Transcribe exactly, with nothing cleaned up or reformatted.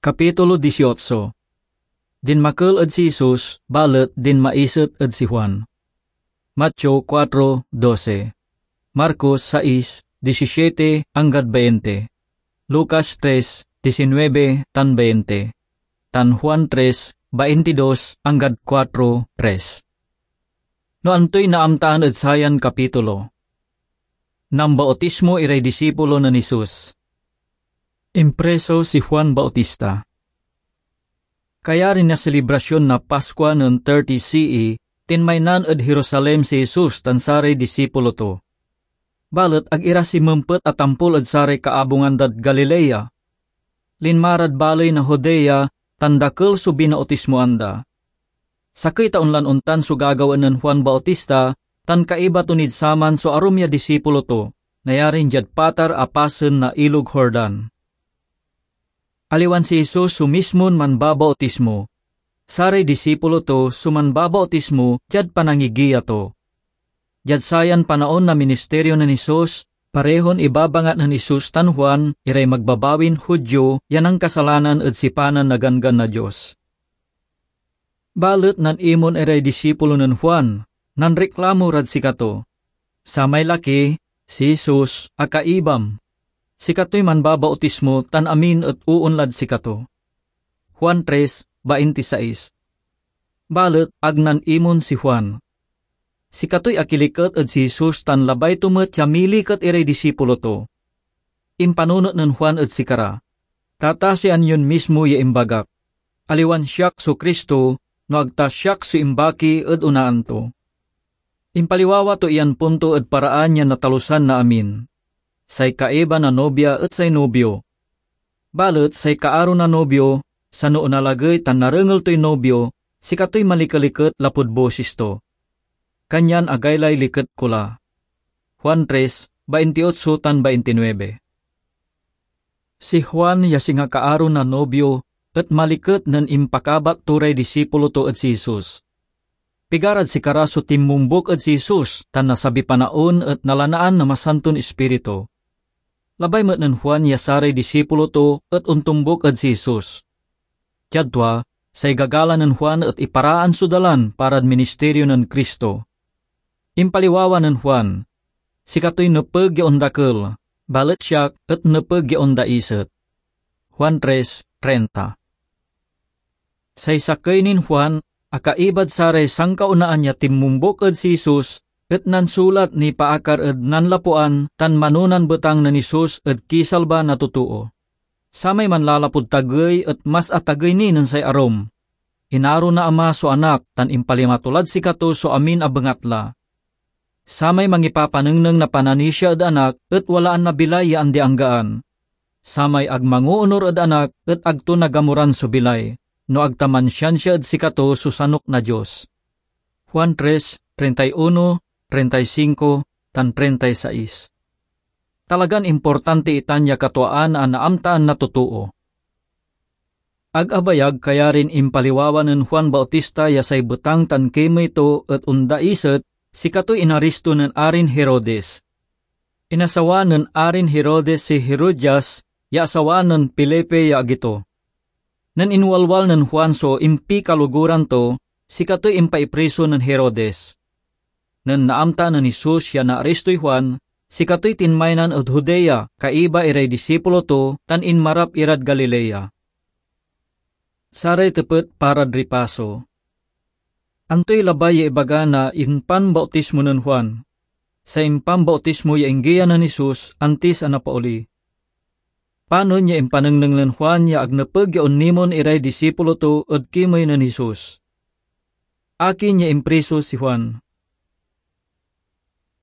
Kapitulo dieciocho. Dinmakel ed si Jesus, balet dinmaiset ed si Juan. Mateo kuatro doce, Marcos sais disisiete anggad veinte, Lucas tres diecinuebe tan veinte, tan Juan tres baintidos anggad kuatro tres. No antoy naamtaan ed sayan kapitulo? Nambautismo iray disipulo nen Jesus. Impreso si Juan Bautista. Kayari na selebrasyon na Paskua nen thirty C E, tinmaynan ed Jerusalem si Jesus tan saray disipulo to. Balet ag ira simempet a tampol ed saray kaabungan dad Galilea. Linma rad baley na Judea tan dakel so binautismoan da. Sakey taon lan ontan so gagawaen nen Juan Bautista, tan kaiba to nid saman so arum ya disipulo to, nayarin diad patar a pasen na Ilog Jordan. Aliwan si Jesus so mismon manbabautismo. Saray disipulo to so manbabautismo diad panangigiya to. Diad sayan panaon na ministerio nen Jesus, parehon ibabangat nen Jesus tan Juan iray magbabawin Judio ya nankasalanan ed sipanan na Ganggan na Dios. Balet nanimon iray disipulo nen Juan, nanreklamo rad sikato, "Samay laki, si Jesus, a kaibam. Sikatoy manbabautismo tan amin et oonlad sikato." Juan tres baintisais. Balet ag nanimon si Juan. Sikatoy akiliket ed si Jesus tan labay to met ya miliket iray disipulo to. Impanunot nen Juan ed sikara, "Tatasian yon mismo ya imbagak. Aliwan siak so Cristo, no ag ta siak so imbaki ed onaan to." Impaliwawa to iyan punto ed paraan ya natalusan na amin. Say kaiba na nobia et say nobio. Balet say kaaro na nobio, sano onalagey tan narengel toy nobio, sikatoy malikeliket lapud bosis to. Kanyan agaylay liket ko la. Juan tres baintiotso tan baintinuebe. Si Juan ya singa kaaro na nobio et maliket nen impakabat to ray disipulo to ed si Jesus. Pigarad sikara so tinmumbok ed si Jesus tan nasabi panaon et nalanaan na Masanton Ispiritu. Labay met nen Juan ya saray disipulo to et ontombok ed si Jesus. Diad tua, say gagalang nen Juan et iparaan so dalan parad ministerio nen Cristo. Impaliwawa nen Juan, "Sikatoy nepeg ya ondakel, balet siak et nepeg ya ondaiset." Juan tres treinta. Say sakey nen Juan a kaibad saray sankaonaan ya tinmumbok ed si Jesus et nansulat nipaakar ed nanlapuan tan manonan betang nen Jesus ed kisalba na totoo. Samay manlalapud tagey et mas atagey ni nen say arum. Inaro na Ama so Anak tan impalima to lad sikato so amin a bengatla. Samay mangipapanengneng na pananisia ed Anak et walaan na bilay ya andi-anggaan. Samay ag mangoonur ed Anak et ag to nagamuran so bilay, no ag ta mansiansia ed sikato so sanok na Dios. Juan tres treinta y uno, treinta y cinco, tan treinta y seis. Talagan importante itan ya katuaan a naamtaan na totoo. Ag abayag kayarin impaliwawa nen Juan Bautista ya say betang tan kimey to et ondaiset, sikatoy inaristo nen Arin Herodes. Inasawa nen Arin Herodes si Herodias ya asawa nen Felipe ya agi to. Nen inwalwal nen Juan so impikaloguran to, sikatoy impaipriso nen Herodes. Nen naamta nen Jesus ya naaristoy Juan, sikatoy tinmaynan ed Judea, kaiba iray disipulo to, tan inmarap irad Galilea. Saray tepet parad ripaso. Antoy labay ya ibaga na impanbautismo nen Juan? Say impanbautismo ya inggiya nen Jesus antis a napaoli. Panon ya impanengneng nen Juan ya ag nepeg ya onimon iray disipulo to ed kimey nen Jesus? Akin ya impriso si Juan?